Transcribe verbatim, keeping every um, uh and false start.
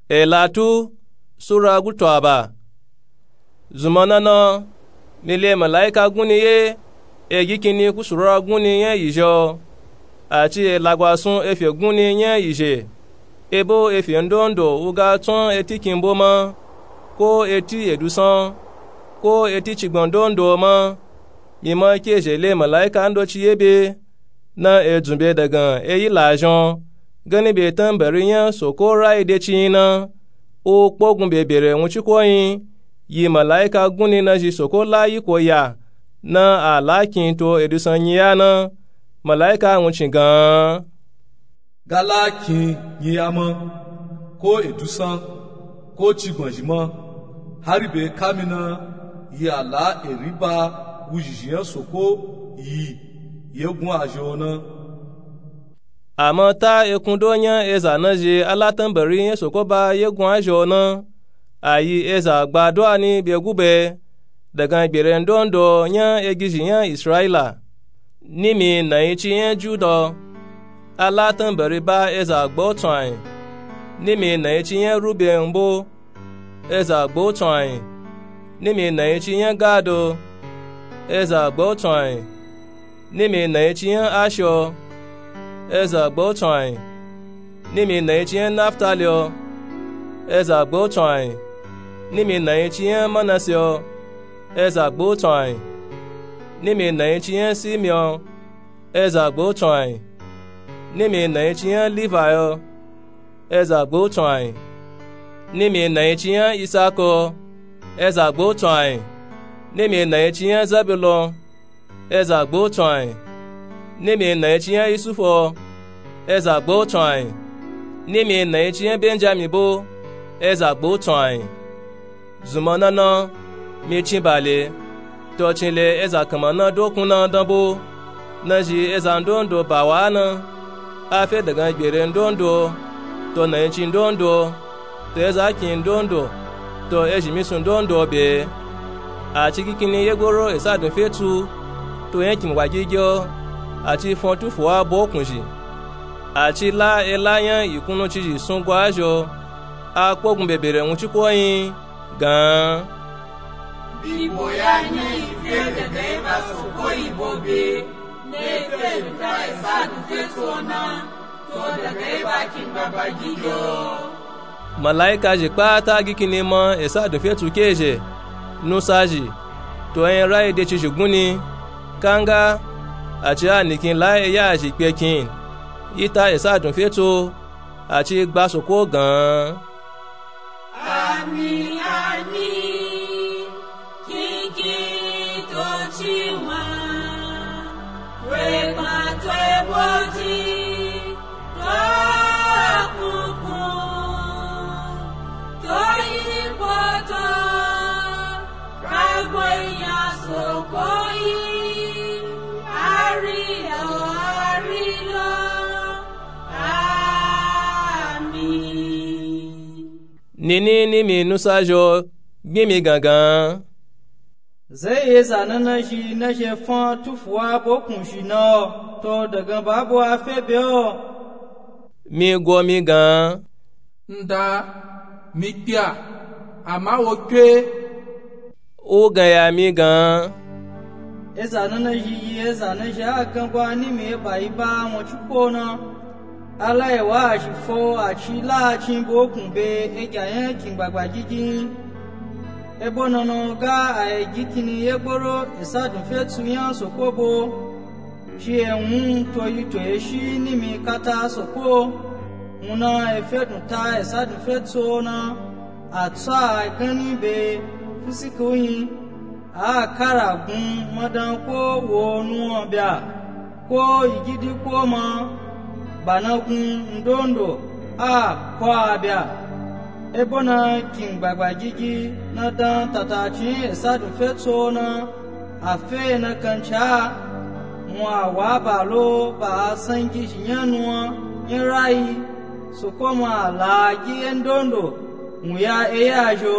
Elatu, sura gutu aba. Zunmana na, mi le malaika gunni ye, e gi kinni kusurora gunni nya yizhe o, ati elagwasun efye gunni nya yizhe, ebo efye ndondo u ga tsun eti kimbo ma, ko eti edusan, ko eti cigban ndondo ma. Mi ma ke zhe le malaika ndoci ye be, na e dzun be dagan e yi lazhi o, ganni be tambari nya Soko rayi de ci na, u kpogun be bere wunciko yin, yi malaika gunni na zhi Soko la yiko ya, na a la kin to edusan nyiya na. Malaika wuncin gan. Ga la kin nyiya ma, ko edusan, ko cigban zhi ma, hari be kami na, yi a la eri ba wuzhizhi nya Soko yi yegun azhi o na. Ama ta ekun do nya eza na zhi a la tambari nya Soko ba yegun azhi o na, a yi eza gba do ani be gube, dagan gbere ndondo nya egizhi nya Israila. Nimi nayin ci nya Juda o, a la tambari ba eza gba o tsun ayin. Nimi nayin ci nya Ruben mbo, eza gba o tsun ayin. Nimi nayin ci nya Gad o, eza gba o tsun ayin. Nimi nayin ci nya Asher o, eza gba o tsun ayin. Nimi nayin ci nya Naftali o, eza gba o tsun ayin. Nimi nayin ci nya Manase o, eza gba o tsun ayin. Nimi nayin ci nya Simeon o, eza gba o tsun ayin. Nimi nayin ci nya Levi o, eza gba o tsun ayin. Nimi nayin ci nya Isaka o, eza gba o tsun ayin. Nimi nayin ci nya Zabulon o, eza gba o tsun ayin. Nimi nayin ci nya Yusufu o, eza gba o tsun ayin. Nimi nayin ci nya Benjamin bo, eza gba o tsun ayin. Zunmana na, mi cin ba le, to cin le eza kanma na dokun na dan bo, na zhi eza ndondo ba wa na, a fe dagan gbere ndondo, to nayin ci ndondo, to eza kin ndondo, to ezhi misun ndondo be. A ci gi kinni yegboro esa dun fe tsu, to nya kin wa gigi o, a ci fon tufu wa bo kunzhi. A ci la ela nya yi kunnu ci zhi sun gwa zhi o, a kpogun be bere wunciko yin gan. Bibo ya nya yi fe dagan yi ba Soko yi bo be, na yi fe duta esa dun fe tsu o na, to dagan yi ba kin gbagba gigi o. Malaika zhi kpata gi kinni ma esa dun fe tsu ke zhe, nusa zhi, to yin rayi de ci zhi gunni, kanga, a ci a nikin la eya zhi kpe kin, yi ta esa dun fe tsu o, a ci gba Soko gan. Ami, ami, kiki to ci wa, rema to ebo ji, to kuku, to ikoto, ragbo iya Soko yi, ari o, ari lo. Amin. Nini ni mi nusa zhi o, gbin mi gangan. Zai eza nana zhi na zhi fan tufuwa bo kunshi na o, to dagan ba bo a fe be o. Mi go mi gan. Nda, mi kpiya, ama wo kpe. U gan ya mi gan. Eza nana zhi yi eza na zhi a gan gwa ni mi e ba yi ba won ci ko na. A la e wa a zhi fo a ci la a cin bo kun be egya yan kin gbagba gigi. Ebo nana ga a e gi kini ye gboro e sa dun fe tsu yan Soko bo. Ci e wun to yi to ye shi ni mi kata Soko. Wun na e fe dun ta e sa dun fe tsu na. A tsa a gani be fusiki uyin. A kara gun madan ko wo nuwan bya, ko yigidi ko ma, ba na gun ndondo a ko a bya. Ebo na kin gbagba gigi na dan tatacin e sa dun fe tso na, a fe na kanca, wun a wa ba lo ba a sangi zhi nya nuwan nya rayi, Soko ma a la gi e ndondo, wun ya e ya zho.